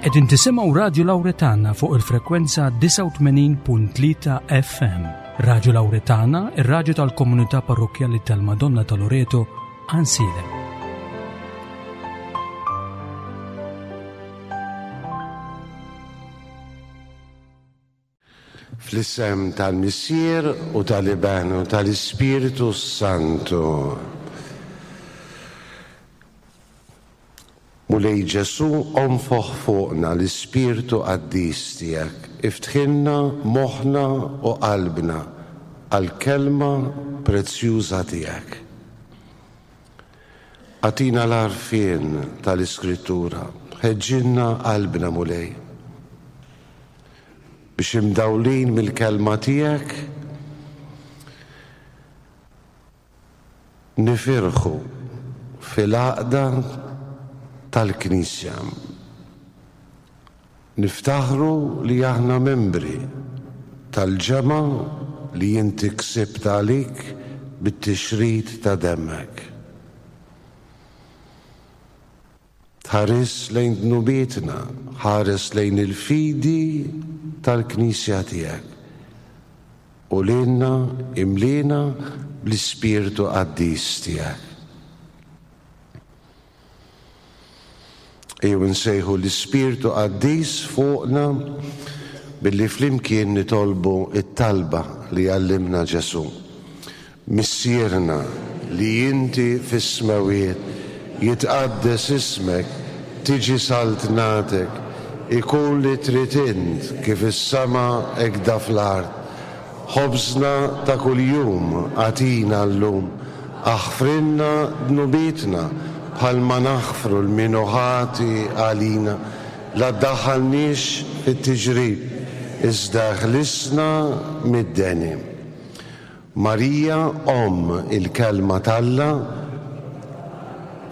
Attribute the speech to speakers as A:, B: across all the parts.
A: Qegħdin tisimgħu Radju Lawretana fuq il-frekwenza 89.3 FM. Radju Lawretana, ir-radju tal-komunità parrokkjali tal-Madonna ta' Loreto, Għansielem.
B: Fl-isem tal-Missier u tal-Iben u tal-Ispirtu s-Santu. Mulej Ġesù, onfoħ fuqna l-Ispirtu qaddis tiegħek, iftħilna moħħna u qalbna għall-kelma prezzjuża tiegħek. Agħtina l-għarfien tal-Iskrittura, ħeġġilna qalbna Mulej, biex imdawlin mill-kelma tiegħek nifirħu fil-għaqda tal-Knisja. Niftaħru li aħna membri tal-ġemgħa li inti ksibt għalik bit-tixrid ta' demmek. Tħarisx lejn dnubietna, ħares lejn il-fidi tal-Knisja tiegħek, u lilna imliena bl-Ispirtu qaddis tiegħek. Ejjew insejħu l-Ispirtu Qaddis fuqna billi flimkien nitolbu t-talba li għallimna Ġesù. Missierna li inti fis-smewwiet, jitqaddes ismek, tiġi saltnatek, ikun li trid int kif is-sema hekda fl-art. Ħobżna ta' kuljum agħtina llum. Aħfrilna dnubietna, bħalma naħfru 'l min hu ħati għalina. La ddaħħalniex fit-tiġrib, iżda eħlisna mid-deni. Marija, Omm il-Kelma t'Alla,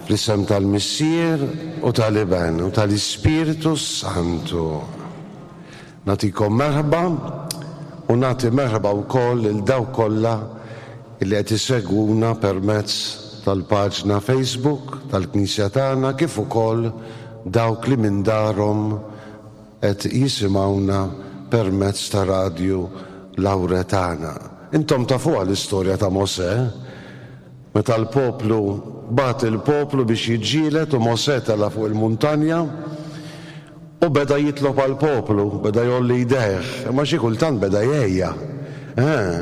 B: fl-isem tal-Missier u tal-Iben u tal-Ispirtu s-Santu. Nagħtikom merħba u nagħti merħba wkoll lil dawk kollha li qed isegwuna permezz tal-paġna Facebook tal-Knisja tagħna kif ukoll dawk li minn darhom qed jisimgħuna permezz ta' Radju Lawretana. Intom tafuha l-istorja ta' Mosè, meta l-poplu bagħat il-poplu biex jiġġieled u Mosè tela' fuq il-muntanja U beda jitlob għall-poplu, beda jgħolli jdejh, imma xi kultant beda jgħejja. Eh!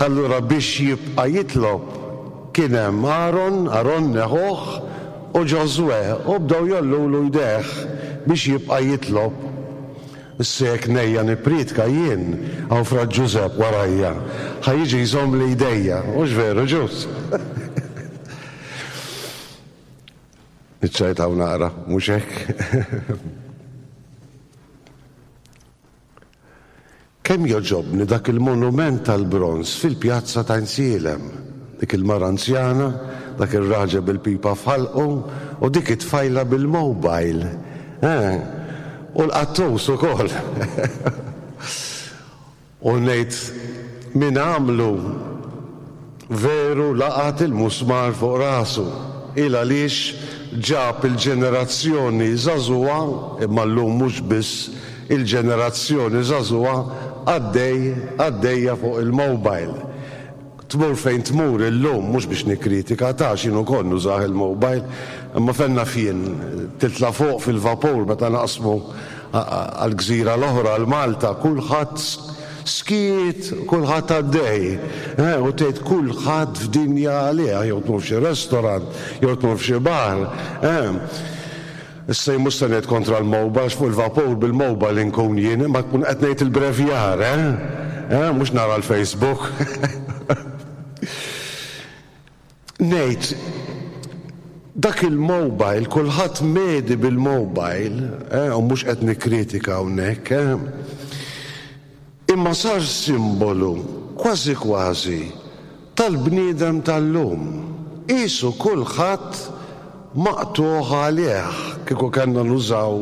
B: Allura biex jibqa' jitlob, kien hemm Aaron, Aronne ħuh, u Ġożwè, u bdew jgħollulu jdejh biex jibqa' jitlob. Issa jekk ngħejja nippriedka jien, hawn Fra Ġużepp warajja, ħa jiġi jżommli jdejja, hux veru Ġuż? Niċċajtaw naqra, mhux hekk? Kemm jogħġobni dak il-monument tal-bronż fil-pjazza ta' Insielem. Dik il-mara anzjana, dak ir-raġel bil-pipa f'ħalqu u dik it-tfajla bil-mobile. Eh, u l-qattus ukoll. U ngħid min għamlu veru laqat il-musmar fuq rasu. Il għaliex ġab il-ġenerazzjoni żagħżugħa, imma llum mhux biss il-ġenerazzjoni żagħżugħa, għaddej, għaddejja fuq il-mobile. Tmur fejn tmur illum, mhux biex nikkritika ta' għax jien ukoll nużah il-mobile, imma fejn naf jien, titla' fuq fil-vapur meta naqsmu għall-gżira l-oħra, għal Malta, kulħadd skiet, kulħadd għaddej, u tgħid kulħadd f'dinja għalih, jew tmur f'xi restaurant, jew tmur f'xi bar. Issa jien mhux se ngħid kontra l-mobile għax fuq il-vapur bil-mobile inkun jien imma tkun qed ngħid il-brevjar, eh? Eh, mhux nara l-Facebook. Ngħid dak il-mobile, kulħadd medi bil-mobile, eh, u mhux qed nikkritika hawnhekk, eh? Imma sar simbolu, kważi kważi, tal-bniedem tal-lum. Qisu kulħadd maqtugħ għalih. Kieku kellna nużaw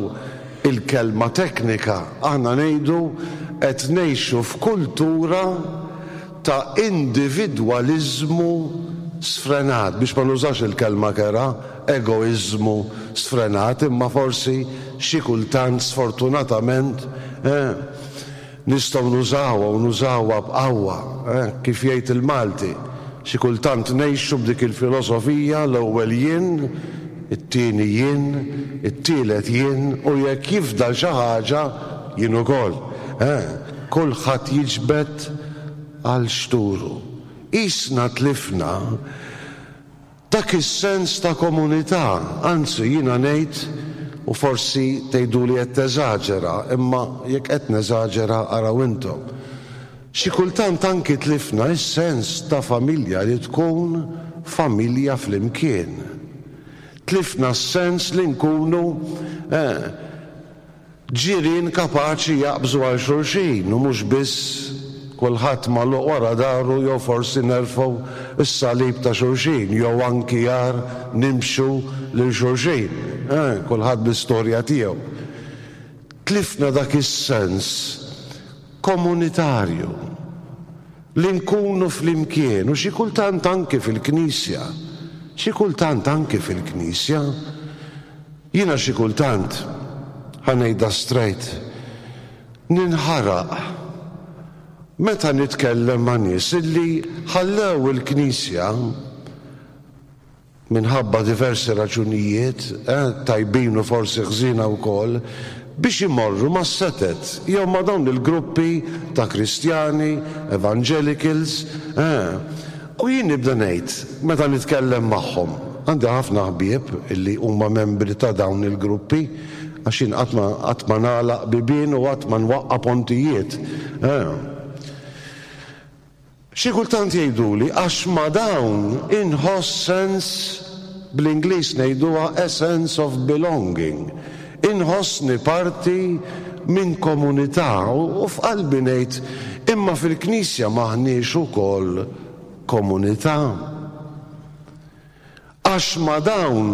B: il-kelma teknika, aħna ngħidu qed ngħixu f'kultura ta' individwaliżmu sfrenat, biex ma nużax il-kelma kerha, egoiżmu sfrenat, imma forsi xi kultant sfortunatament, eh, nistgħu nużawha u nużawha b'qawwa, eh, kif jgħid il-Malti, xi kultant ngħixu b'dik il-filosofija l-ewwel jien, it-tieni jien, it-tielet jien u jekk jifdal xi ħaġa jien ukoll. Eh, kulħadd jiġbed għal xturu. Qisna tlifna dak is-sens ta' komunità, anzi jiena ngħid, u forsi tgħiduli qed teżaġera, imma jekk qed neżaġera araw intom, xi kultant anki tlifna s-sens ta' familja li tkun familja flimkien. Tlifna s-sens li nkunu, eh, Ġirien kapaċi jaqbżu għal xulxin u mhux biss kulħadd magħluq wara daru jew forsi nerfgħu s-salib ta' xulxin jew anki agħar nimxu lil xulxin, eh, kulħadd bl-istorja tiegħu. Tlifna dak is-sens komunitarju li nkunu flimkien u xi kultant anki fil-Knisja, xi kultant anki fil-Knisja. Jiena xi kultant, ħa ngħidha straight, ninħaraq meta nitkellem ma' nies illi ħallew il-Knisja minħabba diversi raġunijiet, eh, tajbin u forsi ħżiena wkoll, biex imorru mas-setet jew ma' dawn il-gruppi ta' Kristjani, evangelicals, eh. U jien nibda ngħid, meta nitkellem magħhom, għandi ħafna ħbieb illi huma membri ta' dawn il-gruppi, għax jien qatt ma qatt ma nagħlaq bibien u qatt ma nwaqqa' pontijiet. Eh. Xi kultant jgħiduli għax ma' dawn inħoss sens, bl-Ingliż ngħiduha a sense of belonging. Inħossni parti minn komunità u f'qalbi ngħid, imma fil-Knisja m'aħniex ukoll komunità? Għax ma' dawn,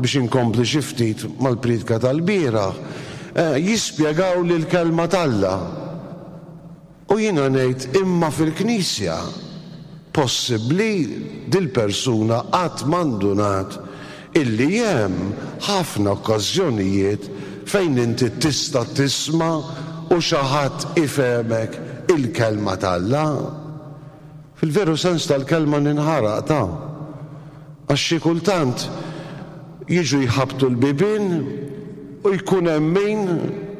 B: biex inkompli xi ftit mal-priedka tal-bieraħ, jispjegawli l-Kelma t'Alla. U jiena ngħid imma fil-Knisja possibbli dil-persuna qatt ma ndunat illi hemm ħafna okkażjonijiet fejn inti tista' tisma' u xi ħadd ifehmek il-Kelma t'Alla? Fil-veru sens tal-kelma ninħaraq ta'. Għax xi kultant jiġu jħabbtu l-bibien u jkun hemm min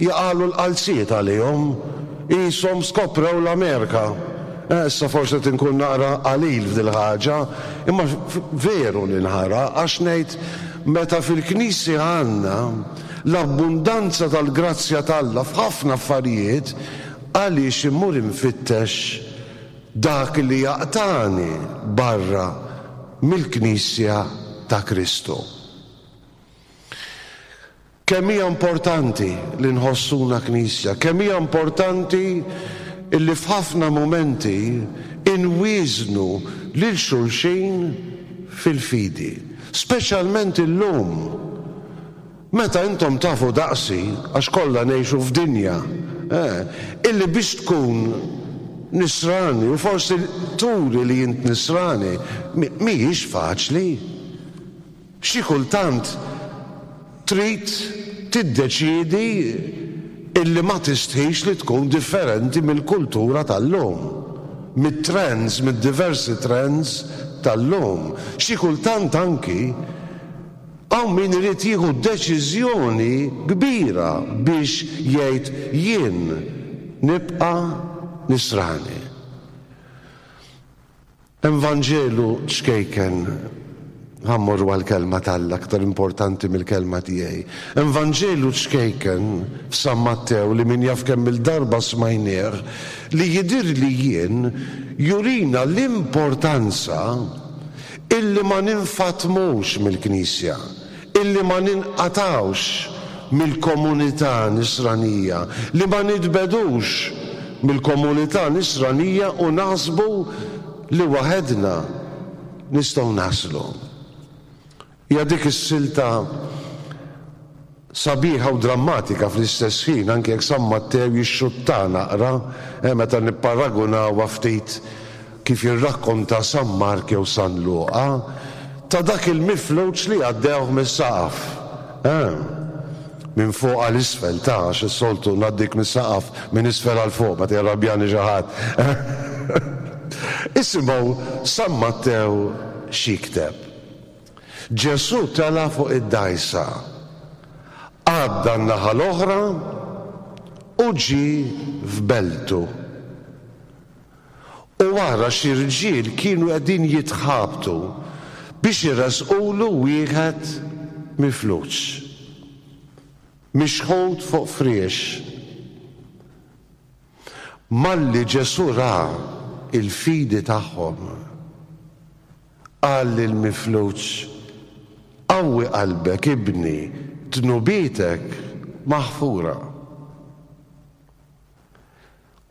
B: jaqagħlu l-qalziet għalihom, qishom skoprew l-Amerika. Eh, issa forsi qed inkun naqra qalil f'dil-ħaġa, imma veru ninħaraq għax ngħid meta fil-Knisja għandna l-abbundanza tal-grazzja t'Alla f'ħafna affarijiet, għaliex immur infittex Dak li jaqtagħni barra mill-Knisja ta' Kristu. Kemm hija importanti li nħossuna Knisja, kemm hija importanti illi f'ħafna mumenti inwieżnu lil xulxin fil-fidi, speċjalment illum. Meta intom tafu daqsi, għax kollha ngħixu f'dinja, eh, illi biex tkun Nisrani u forsi turi li int Nisrani, mhijiex faċli. Xi kultant trid tiddeċiedi illi ma tistħix li tkun differenti mill-kultura tal-lum, mit-trends, mid-diversi trends tal-lum. Xi kultant anki Hawn min irid jieħu deċiżjoni kbira biex jgħid jien nibqa' Nisrani. Hemm Vanġelu ċkejken, ħa mmorru għall-Kelma t'Alla aktar importanti mill-kelma tiegħi. Hemm Vanġelu ċkejken f'San Mattew li min jaf kemm-il darba smajnieh li jidhirli jien jurina l-importanza Illi ma ninfatmux mill-Knisja, illi ma ninqatgħux mill-komunità Nisranija, li ma nitbegħdux mill-komunità Nisranija u naħsbu li waħedna nistgħu naslu. Hija dik is-silta sabiħa u drammatika fl-istess ħin, anki jekk San Mattew jixxuttha naqra, meta nipparagunawha ftit. kif jirrakkonta San Mark jew San Luqa, ta' dak il-mifluġ li għaddewh mis-saqaf. Eh. Minn fuq għal isfel, ta' għax is-soltu ngħaddik mis-saqaf minn isfel għal fuq meta jirrabjani xi ħadd. Isimgħu San Mattew x'jikteb. Ġesù tela' fuq id-dgħajsa, għadda n-naħa l-oħra u ġie f'beltu. U wara xi rġiel kienu qegħdin jitħabtu biex iressqulu wieħed mifluġ, mixħut fuq friex. Malli Ġesù ra l-fidi tagħhom, qal lill-mifluġ, Qawwi qalbek, ibni, dnubietek maħfura.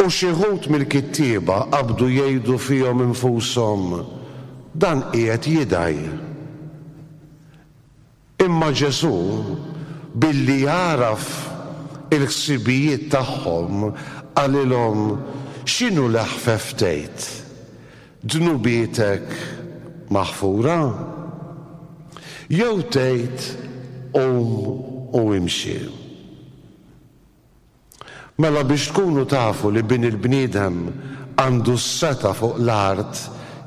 B: U xi wħud mill-kittieba qabdu jgħidu fihom infushom, Dan qiegħed jidgħi. Imma Ġesù, billi għaraf il-ħsibijiet tagħhom, qalilhom, X'inhu l-eħfef tgħid, 'Dnubietek maħfura'? Jew tgħid, 'Qum u imxi'? Mela biex tkunu tafu li Bin il-bniedem għandu s-setgħa fuq l-art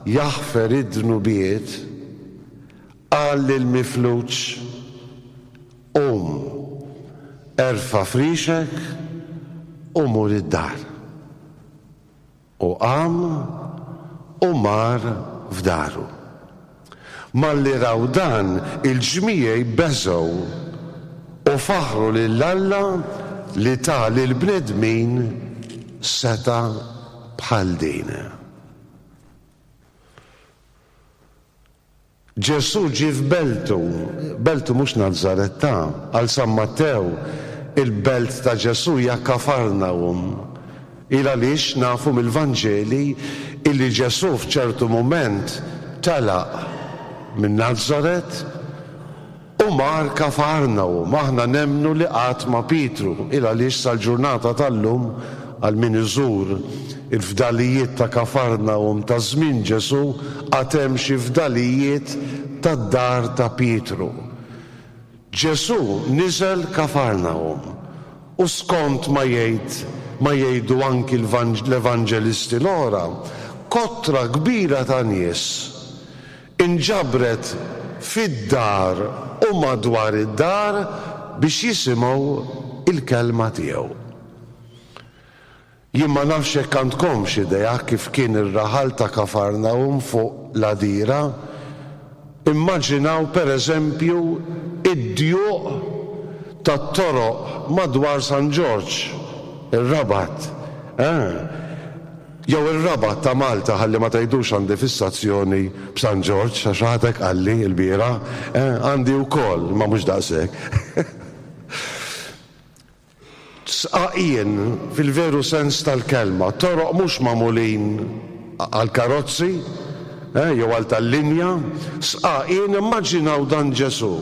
B: jaħfer id-dnubiet, qal lill-mifluġ, Qum, erfa' frixek u mur id-dar. U qam u mar f'daru. Malli raw dan, il-ġmiegħi beżgħu u faħħru lil Alla li ta lill-bnedmin setgħa bħal din. Ġesù ġie f'beltu, beltu mhux Nazaret ta, għal San Mattew, il-belt ta' Ġesù hija Kafarnahum. Il għaliex nafu mill-Vanġeli illi Ġesù f'ċertu mument telaq minn Nazaret u mar Kafarnahum. Aħna nemmnu li qagħad ma' Pietru, il għaliex sal-ġurnata tal-lum, għal min iżur il-fdalijiet ta' Kafarnahum ta' żmien Ġesù, għad hemm xi fdalijiet tad-dar ta' Pietru. Ġesù niżel Kafarnahum, u skont ma jgħid ma jgħidu anki l-evanġelisti l-oħra, kotra kbira ta' nies Inġabret fid-dar u madwar id-dar biex jisimgħu l-kelma tiegħu. Jien ma nafx jekk għandkomx idea kif kien ir-raħal ta' Kafarnahum fuq l-għadira. Immaġinaw per eżempju id-djuq tat-toroq madwar San Ġorġ, ir-Rabat, eh? Jew ir-Rabat ta' Malta ħalli ma tgħidux għandi fissazzjoni b'San Ġorġ għax xi ħadd hekk qalli lbieraħ, eh, għandi wkoll imma mhux daqshekk. Sqaqien fil-veru sens tal-kelma, toroq mhux magħmulin għall-karozzi, eh, jew għal tal-linja, sqaqien immaġinaw dan Ġesù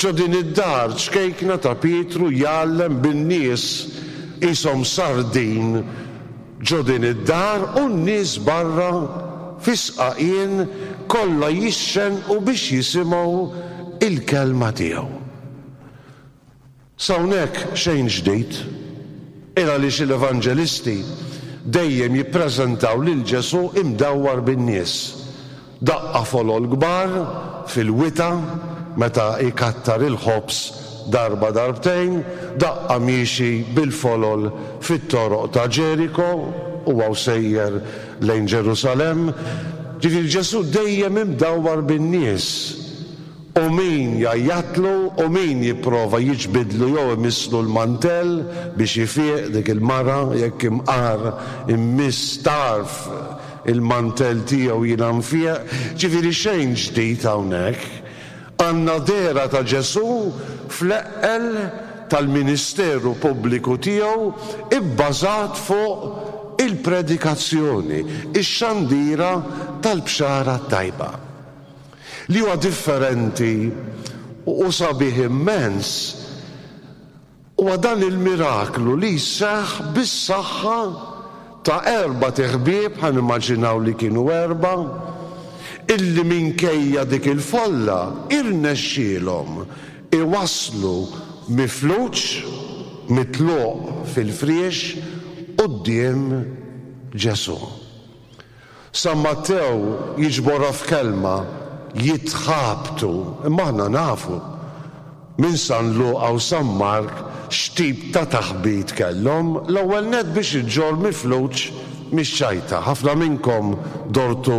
B: ġo din id-dar ċkejkna ta' Pietru jgħallem bin-nies qishom sardin Ġo din id-dar u n-nies barra fis-sqaqien kollha jixxennqu biex jisimgħu l-kelma tiegħu. S'hawnhekk xejn ġdid, il għaliex l-evanġelisti dejjem jippreżentaw lil Ġesù imdawwar bin-nies. Daqqa folol kbar fil-wita meta jkattar il-ħobż darba darbtejn, daqqa miexi bil-folol fit-toroq ta' Ġeriko, huwa u sejjer lejn Ġerusalemm. Ġifieri Ġesù dejjem imdawwar bin-nies. U min jgħajjatlu u min jipprova jiġbidlu jew imisslu l-mantell biex ifiq dik il-mara jekk imqar immiss tarf il-mantell tiegħu jiena nfieq. Ġifieri xejn ġdid hawnhekk. Għandna dehra ta' Ġesù fl-eqqel tal-ministeru pubbliku tiegħu bbażat fuq il-predikazzjoni, ix-xandira tal-Bxara t-Tajba. Li huwa differenti u sabiħ immens huwa dan il-miraklu li jseħħ bis-saħħa. ta' erbat iħbieb, ħa nimmaġinaw li kienu erbgħa, illi minkejja dik il-folla irnexxielhom iwasslu mifluġ, mitluq fil-friex, quddiem Ġesù. San Mattew jiġborha f'kelma, jitħabtu, imma aħna nafu minn San Luqa u San Mark x'tip ta' taħbit kellhom, l-ewwel nett biex iġġorr mifluġ mhix ċajta. Ħafna minnkom dortu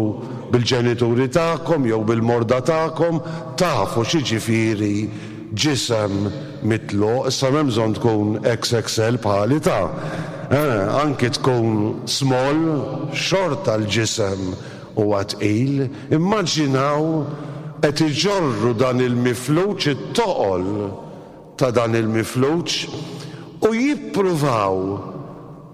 B: bil-ġenituri tagħkom jew bil-morda tagħkom, tafu x'jiġifieri ġisem mitluq, issa m'hemm bżonn tkun XXL bħali ta'. Eh, anki tkun small, xorta l-ġisem huwa tqil. Immaġinaw qed iġorru dan il-mifluġ, it-toqol ta' dan il-mifluġ, u jippruvaw,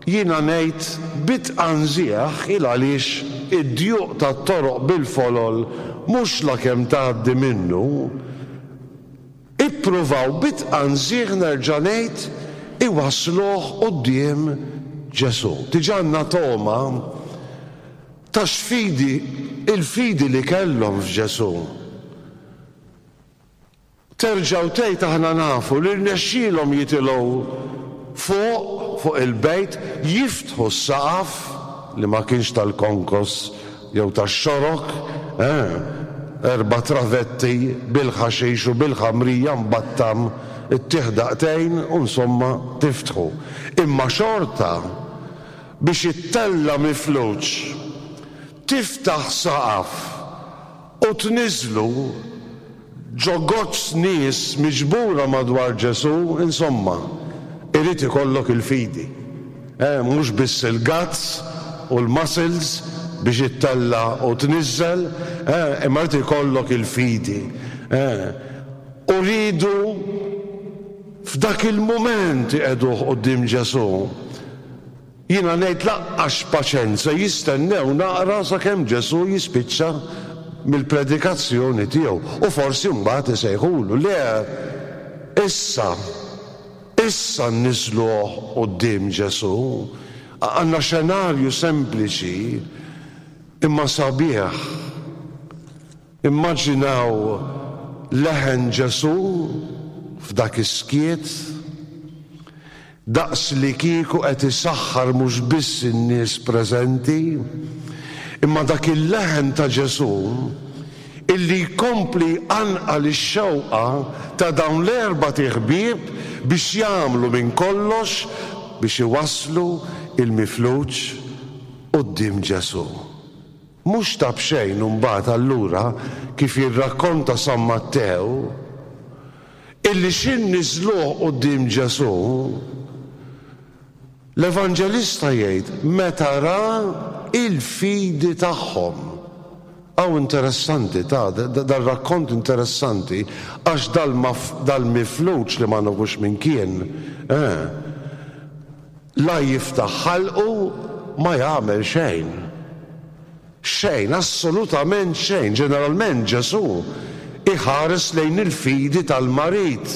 B: jiena ngħid bi tqanżiegħ, il għaliex id-djuq tat-toroq bil-folol mhux lakemm tgħaddi minnu, Ippruvaw bi tqanżiħ nerġa' ngħid iwassluh quddiem Ġesù. Diġà għandna togħma ta' x'fidi, il-fidi li kellhom f'Ġesù. Terġa' u tgħid aħna nafu li rnexxielhom jitilgħu fuq, fuq il-bejt, jiftħu s-saqaf li ma kienx tal-konkos jew tax-xorok, eh, erbà travetti bil-ħaxix u bil-ħamrija mbattam ittih daqtejn u insomma tiftħu. Imma xorta biex ittella' mifluġ, tiftaħ saqaf u tniżżlu ġo goċċ nies miġbura madwar Ġesù, insomma, irid ikollok il-fidi. Eh, mhux biss il-guts u l-muscles biex ittella' u tniżżel, eh, imma jrid ikollok il-fidi. Eh, u riedu f'dak il-mument iqegħduh quddiem Ġesù. Jiena ngħid laqqas paċenza jistennew naqra sakemm Ġesù jispiċċa mill-predikazzjoni tiegħu u forsi mbagħad isejħulu. Le, issa, issa nniżżluh quddiem Ġesù. Għandna xenarju sempliċi imma sabiħ. Immaġinaw leħen Ġesù f'dak is-skiet, daqslikieku qed isaħħar mhux biss in-nies preżenti, imma dak il-leħen ta' Ġesù illi jkompli jqanqal ix-xewqa ta' dawn l-erbat iħbieb biex jagħmlu minn kollox biex iwasslu l-mifluġ quddiem Ġesù. Mhux ta' b'xejn imbagħad allura kif jirrakkonta San Mattew, illi xi niżżluh quddiem Ġesù, l-Evanġelista jgħid meta ra l-fidi tagħhom. Hawn interessanti ta' dar-rakkont interessanti għax dal-mifluġ li ma nafux min kien, eh, La jiftaħ ħalqu ma jagħmel xejn. Xejn, assolutament xejn. Ġeneralment Ġesù iħares lejn il-fidi tal-marid.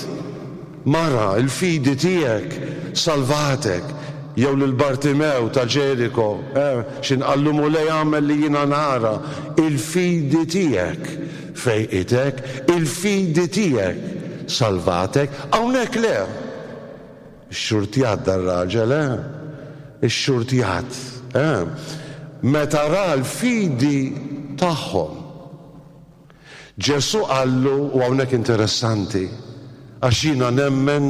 B: Mara, il-fidi tiegħek salvatek. Jew lil Bartimew ta' Ġeriko, eh, x'in qallu Mulej agħmel li jiena nara, il-fidi tiegħek fejqitek, il-fidi tiegħek salvatek. Hawnhekk le. Ixxurtjat dar-raġel, eh? Ixxurtjat, eh? Meta ra l-fidi tagħhom. Ġesù qallu, u hawnhekk interessanti, għax jiena nemmen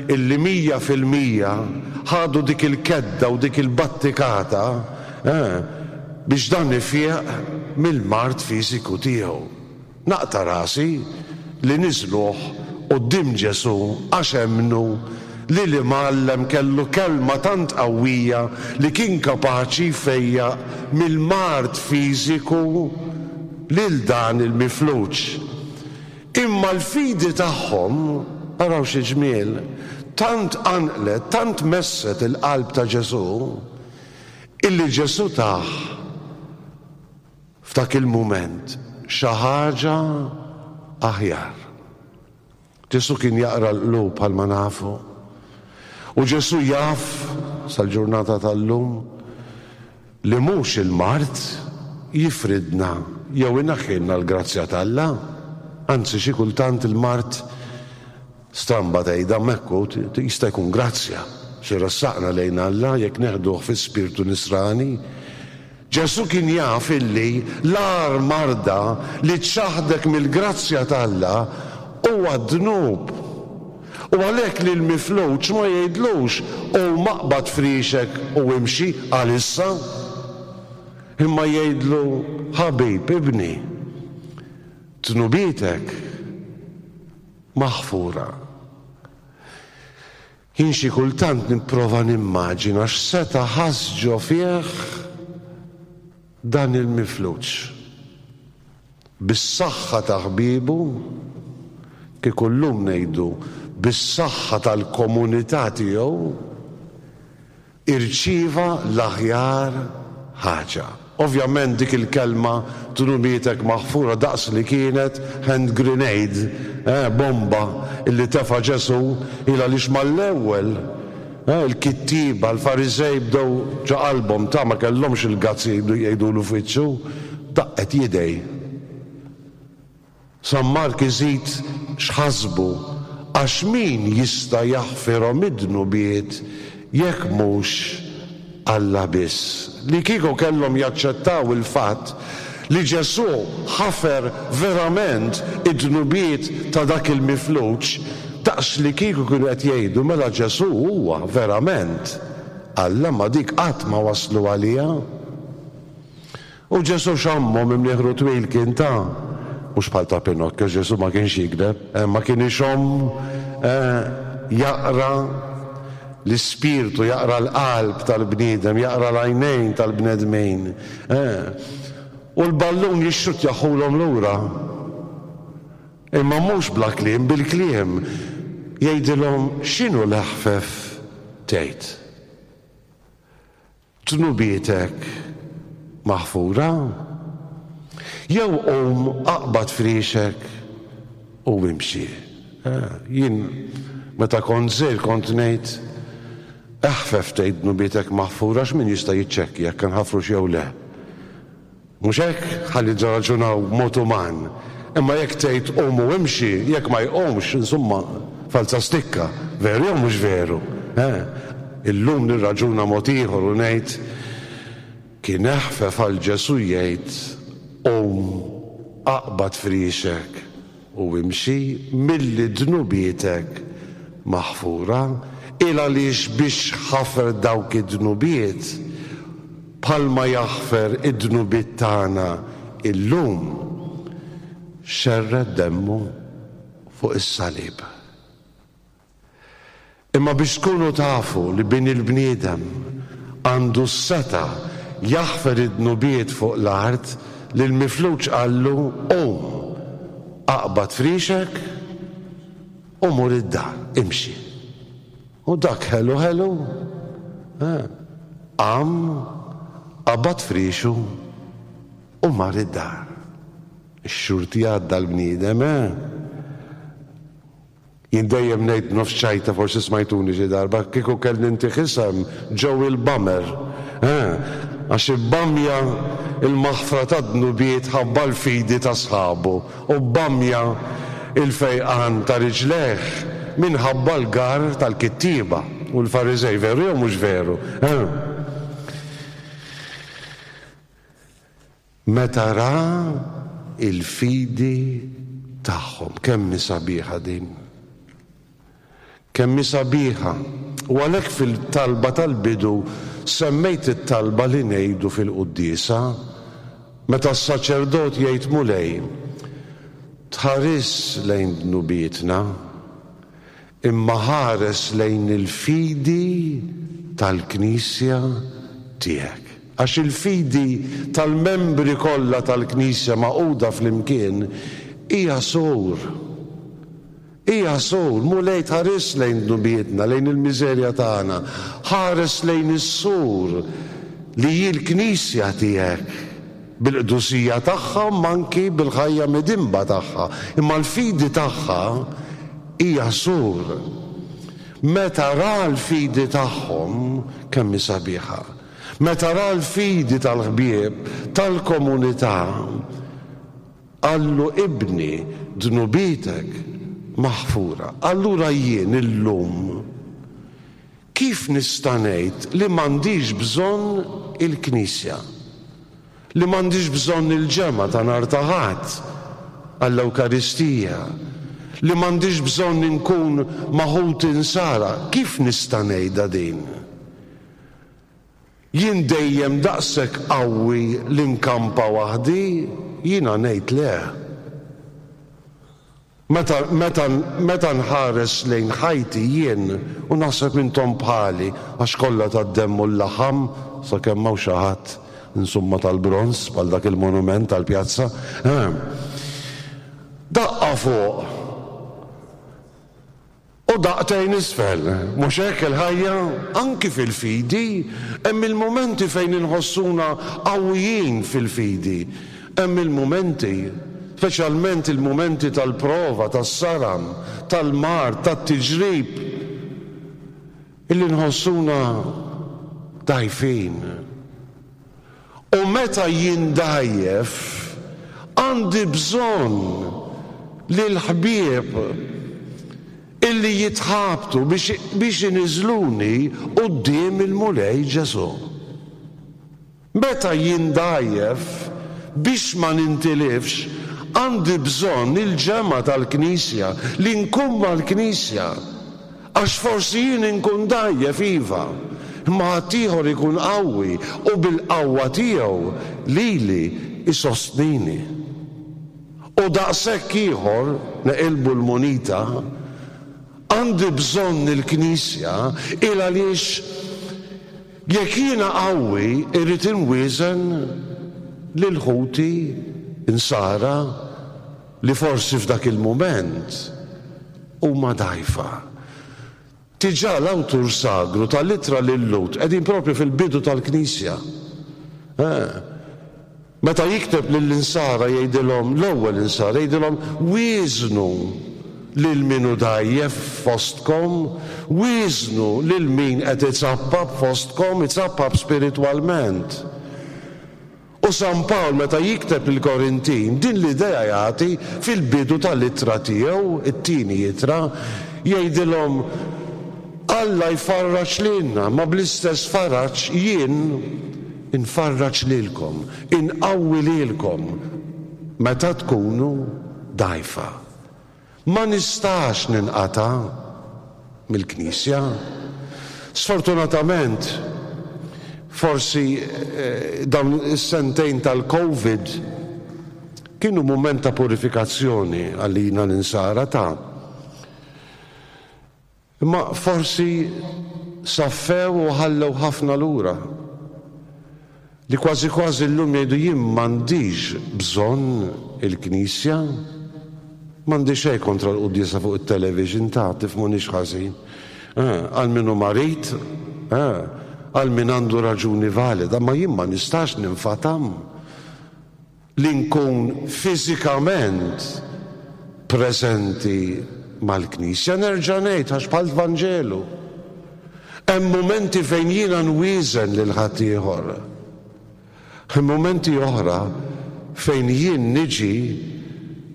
B: illi 100% ħadu dik il-kedda u dik il-battikata, eh, biex dan ifieq mill-mard fiżiku tiegħu. Naqta' rasi li niżluh quddiem Ġesù għax emmnu li l-Imgħallem kellu kelma tant qawwija li kien kapaċi jfejjaq mill-mard fiżiku lil dan il-mifluġ. Imma l-fidi tagħhom, araw xi ġmiel, tant qanqlet, tant messet il-qalb ta' Ġesù, illi Ġesù tah F'dak il-mument, xi ħaġa aħjar. Ġesù kien jaqra l-qlub bħalma nafu. U Ġesù jaf, sal-ġurnata tal-lum, Li mhux il-mard jifridna jew ineħħilna l-grazzja t'Alla. Anzi xi kultant il-mard, stramba tgħidha imma hekk hu, jista' jkun grazzja xi jressaqna lejn Alla jekk neħduh fi spirtu nisrani. Ġesù kien jaf illi l-agħar marda li ċċaħħdek mill-grazzja t'Alla huwa d-dnub. U għalhekk lill-mifluġ ma jgħidlux, Qum aqbad friexek u imxi għalissa. Imma jgħidlu, Ħabib, ibni, dnubietek maħfura. Jien xi kultant nipprova nimmaġina x'seta' ħass ġo fih dan il-mifluġ. Bis-saħħa ta' ħbiebu, kieku llum ngħidu bis-saħħa tal-komunità tiegħu, irċieva l-aħjar ħaġa. Ovvjament dik il-kelma dnubietek maħfura daqs li kienet hand grenade, eh, bomba illi tefa' Ġesù, il għaliex mal-ewwel, eh, il-kittieba, l-Fariżej bdew ġo qalbhom ta' ma kellhomx il-guts jgħidulu f'wiċċu, daqqet jidej. San Mark iżid x'ħasbu, Għax min jista' jaħfirhom id-dnubiet jekk mhux Alla biss? Li kieku kellhom jaċċettaw il-fatt li Ġesù ħafer verament id-dnubiet ta' dak il-mifluġ, daqs li kieku kienu qed jgħidu mela Ġesù huwa verament Alla ma dik qatt ma waslu għaliha. U Ġesù xammhom, imnieħru twil kien ta, mhux bħal ta' Pinocchio, Ġesù ma kienx jigdeb, eh, ma kien ixomm, eh, jaqra l-ispirtu, jaqra l-qalb tal-bniedem, jaqra l-għajnejn tal-bnedmin, eh. U l-ballun jixxuttjahulhom lura. Imma mhux bla kliem, bil-kliem jgħidilhom x'inhu l-eħfef tgħid. Dnubietek maħfura? Jew qum aqbad friexek u imxi. Jien meta kont żgħir kont ngħid, eħfef tgħid dnubietek maħfura għax min jista' jiċċekkja jekk inħafrux jew le. Mhux hekk? Ħalli nirraġunaw b'mod uman. Imma jekk tgħid qum u imxi, jekk ma jqumx, insomma, falza stikka. Veru jew mhux veru? Eh? Illum nirraġuna mod ieħor u ngħid, kien eħfef għal Ġesù jgħid, qum, aqbad friexek u imxi, milli dnubietek maħfura. Il għaliex biex ħafer dawk id-dnubiet, Bħalma jaħfer id-dnubiet tagħna illum, xerred demmu fuq is-salib. Imma biex tkunu tafu li Bin il-bniedem għandu s-setgħa jaħfer id-dnubiet fuq l-art, lill-mifluġ qallu, Qum, aqbad friexek u mur id-dar, imxi. U dak ħelu ħelu, eh, qam, qabad friexu u mar id-dar. Ix-xurti għadda l-bniedem, eh? Jien dejjem ngħid b'nofs ċajta forsi smajtuni xi darba, kieku kellni ntih isem Joey l-Bummer, eh? Għax ibbamja l-maħfra tad-dnubiet ħabba l-fidi ta' sħabu. U bbamja l-fejqan ta' riġlejh minħabba l-garr tal-kittieba u l-Fariżej. Veru jew mhux veru? Eh? Meta ra l-fidi tagħhom. Kemm hi sabiħa din! Kemm hi sabiħa! U għalhekk fil-talba tal-bidu semmejt it-talba li ngħidu fil-quddiesa, meta s-saċerdot jgħid Mulej, tħarisx lejn dnubietna, imma ħares lejn il-fidi tal-Knisja tiegħek. Għax il-fidi tal-membri kollha tal-Knisja magħquda flimkien hija sur. Hija sur, Mulej tħarisx lejn dnubietna, lejn il-miżerja tagħna, ħares lejn is-sur li hi l-Knisja tiegħek, bil-qdusija tagħha imma anki bil-ħajja midinba tagħha, imma l-fidi tagħha hija sur. Meta ra l-fidi tagħhom, kemm hi sabiħa! Meta ra l-fidi tal-ħbieb tal-komunità, qallu ibni dnubietek maħfura. Allura jien illum kif nista' ngħid li m'għandix bżonn il-Knisja? Li m'għandix bżonn il-ġemgħa ta' nhar ta' Ħadd għall-Ewkaristija? Li m'għandix bżonn inkun ma' ħuti Nsara? Kif nista' ngħidha din? Jien dejjem daqshekk qawwi li nkampa waħdi? Jiena ngħid le. Meta, meta, meta nħares lejn ħajti jien, u naħseb intom bħali, għax kollha tad-demm u l-laħam, sakemm hawn xi ħadd, insomma tal-bronż, bħal dak il-monument tal-pjazza, eh. Daqqa fuq! U daqtejn isfel. Mhux hekk il-ħajja? Anki fil-fidi, hemm il-mumenti fejn inħossuna qawwijin fil-fidi. Hemm il-mumenti, speċjalment il-mumenti tal-prova, tas-saram, tal-mard, tat-tiġrib, illi nħossuna dgħajfin. U meta jien dgħajjef, għandi bżonn lill-ħbieb illi jitħabtu biex, biex iniżżluni quddiem il-Mulej Ġesù. Meta jien dgħajjef, biex ma nintilifx, għandi bżonn il-ġemgħa tal-Knisja, li nkun mal-Knisja. Għax forsi jien inkun dgħajjef, iva, imma ħaddieħor ikun qawwi u bil-qawwa tiegħu lili jsostnini. U daqshekk ieħor, neqilbu l-munita, għandi bżonn il-Knisja il għaliex jekk jiena qawwi irrid inwieżen lil ħuti Nsara li forsi f'dak il-mument huma dgħajfa. Diġà l-awtur sagru tal-Ittra lil-Lhud qegħdin proprju fil-bidu tal-Knisja. Eh. Meta jikteb lill-Insara jgħidilhom, l-ewwel Insara jgħidilhom wieżnu lil min hu dgħajjef fostkom, wieżnu lil min qed izappap fostkom, izappap spiritwalment. U San Pawl meta jikteb lill-Korintin, din l-idea jagħti fil-bidu tal-ittra tiegħu, it-tieni ittra, jgħidilhom, Alla jfarraġ lilna, ma bl-istess faraġ jien infarraġ lilkom, inqawwi lilkom meta tkunu dgħajfa. Ma nistax ninqata' mill-Knisja. Sfortunatament, forsi dawn is-sentejn tal-Covid kienu mument ta' purifikazzjoni għalina l-Insara ta'. Imma forsi saffew u ħallew ħafna lura. Li kważi kważi llum jgħidu jien m'għandix bżonn il-Knisja. M'għandi xejn kontra l-quddiesa fuq it-television ta' tifhmunix ħażin. Eh, għal min hu marid, eh, għal min għandu raġuni valida, ma jien ma nistax ninfatam. Li nkun fiżikament preżenti mal-Knisja. Nerġa' ngħid għax bħall-Vanġelu. Hemm mumenti fejn jiena nwieżen lil ħaddieħor. Hemm mumenti oħra fejn jien niġi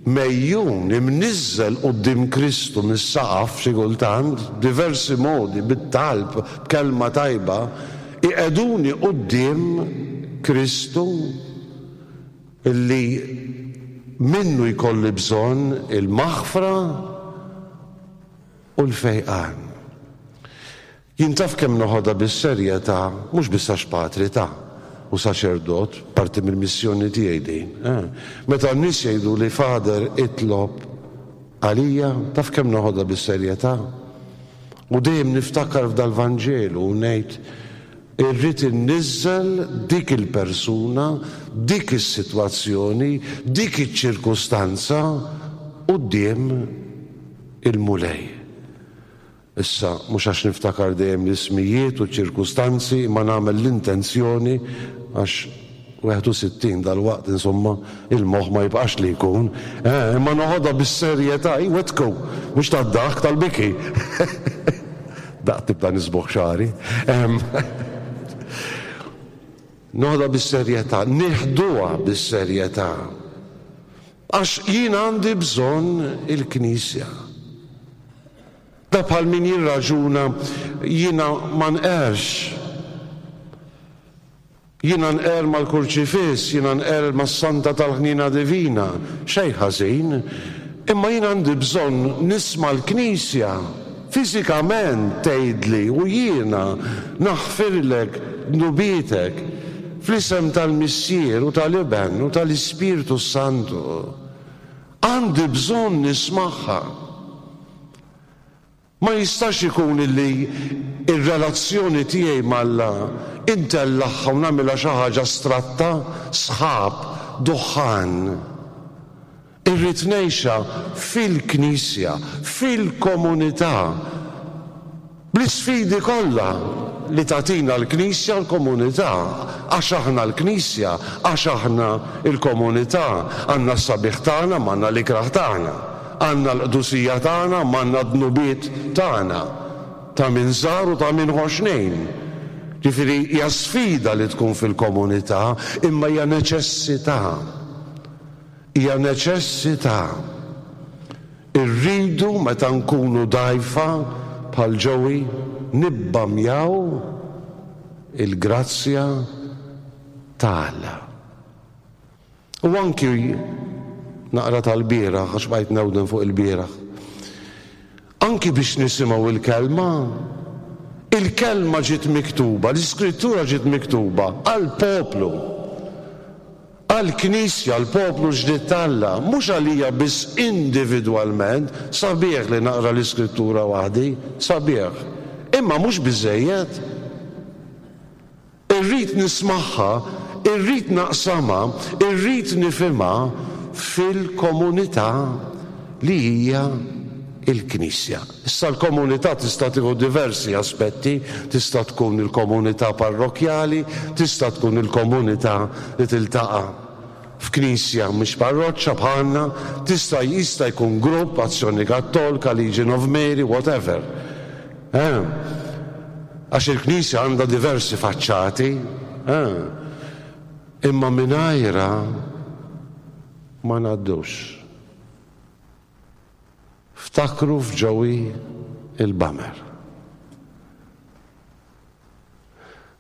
B: megħjun, imniżżel quddiem Kristu mis-saqaf xi kultant, b'diversi modi, bit-talb, b'kelma tajba, iqegħduni quddiem Kristu li minnu jkolli bżonn il-maħfra u l-fejqan. Jien taf kemm noħodha bis-serjetà, mhux biss għax patri ta' u saċerdot, parti mill-missjoni tiegħi din. Eh. Meta n-nies jgħiduli Father itlob għalija, taf kemm noħodha bis-serjetà? U dejjem niftakar f'dal-Vanġelu u ngħid irrid inniżżel dik il-persuna, dik is-sitwazzjoni, dik iċ-ċirkustanza quddiem il-Mulej. Issa, mhux għax niftakar dejjem l-ismijiet u ċ-ċirkustanzi imma nagħmel l-intenzjoni għax 61 dalwaqt insomma il-moħħ ma jibqax li jkun. Eh, imma noħodha bis-serjetà, iwettku, mhux tad-daħk tal-biki. Daqt nibda nisboħ xagħri. Noħodha bis-serjetà, nieħduha bis-serjetà. Għax jien għandi bżonn il-Knisja. Da bħal min jirraġuna jiena ma nqerx. Jiena nqerr mal-Kurċifiss, jiena nqerr mas-Santa tal-Ħniena Divina, xejn ħażin, imma jien għandi bżonn nisma' l-Knisja fiżikament tgħidli u jiena naħfirlek dnubietek fl-isem tal-Missier u tal-Iben u tal-Ispirtu s-Santu. Għandi bżonn nismagħha. Ma jistax ikun illi r-relazzjoni tiegħi m'Alla intellagħha u nagħmilha xi ħaġa astratta, sħab, duħħan. Irrid ngħixha fil-Knisja, fil-komunità, bl-isfidi kollha li tagħtina l-Knisja u l-komunità, għax aħna l-Knisja, għax aħna l-komunità, għandna s-sabiħ tagħna m'għandna l-ikrah tagħna. Għandna l-qdusija tagħna m'għandna d-dnubiet tagħna, ta' min żgħar u ta' min ħoxnin. Ġifieri hija sfida li tkun fil-komunità, imma hija neċessità. Hija neċessità. Irridu meta nkunu dgħajfa bħal Joey nibbamjaw il-grazzja ta' Alla. U anki naqra tal-bieraħ, għax bqajt newden fuq il-bieraħ. Anki biex nisimgħu il-kelma, il-kelma ġiet miktuba, l-iskrittura ġiet miktuba għall-poplu, għall-Knisja, l-poplu ġdid t'Alla, mhux għalija biss individwalment, sabiħ li naqra l-iskrittura waħdi, sabiħ, imma mhux biżżejjed. Irrid nismagħha, irrid naqsamha, irrid nifhimha fil-komunità li hija l-Knisja. Issa l-komunità tista' tieħu diversi aspetti, tista' tkun il-komunità parrokkjali, tista' tkun il-komunità li tiltaqa' f'knisja mhix parroċċa bħalna, tista' jista' jkun grupp, Azzjoni Kattolka, Legion of Mary, whatever. Eh? Għax il-Knisja għandha diversi faċċati, eh? Imma mingħajrha ma ngħaddux. Ftakru f'Joey il-Bummer.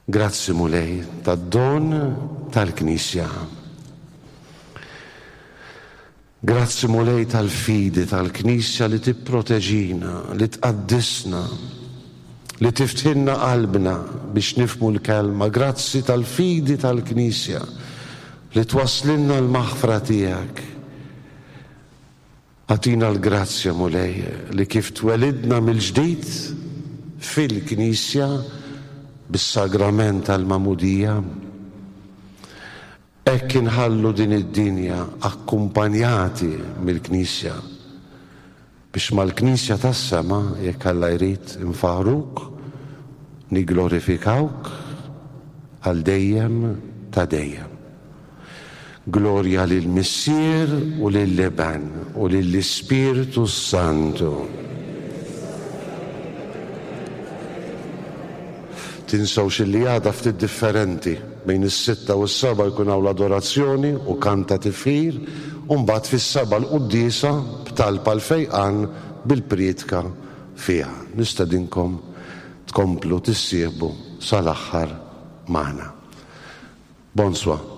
B: Grazzi Mulej tad-don tal-Knisja. Grazzi Mulej tal-fidi tal-Knisja li tipproteġina, li tqaddisna, li tiftħilna qalbna biex nifhmu l-Kelma. Grazzi tal-fidi tal-Knisja li twasslilna l-maħfra tiegħek. Agħtina l-grazzja, Mulej, li kif twelidna mill-ġdid fil-Knisja bis-sagrament tal-Magħmudija, Hekk inħallu din id-dinja akkumpanjati mill-Knisja, biex mal-Knisja tas-sema, jekk Alla jrid, infaħħruk, nigglorifikawk għal dejjem ta' dejjem. Glorja lill-Missier u lill-Iben u lill-Ispirtu s-Santu. Tinsewx illi għada ftit differenti. Bejn is-sitta u s-sebgħa jkun hawn l-adorazzjoni u kant ta' tifħir u mbagħad fis-sebgħa l-quddiesa b'talb għall-fejqan bil-prietka fiha. Nistedinkom tkomplu tissieħbu sal-aħħar magħna. Bonsoir.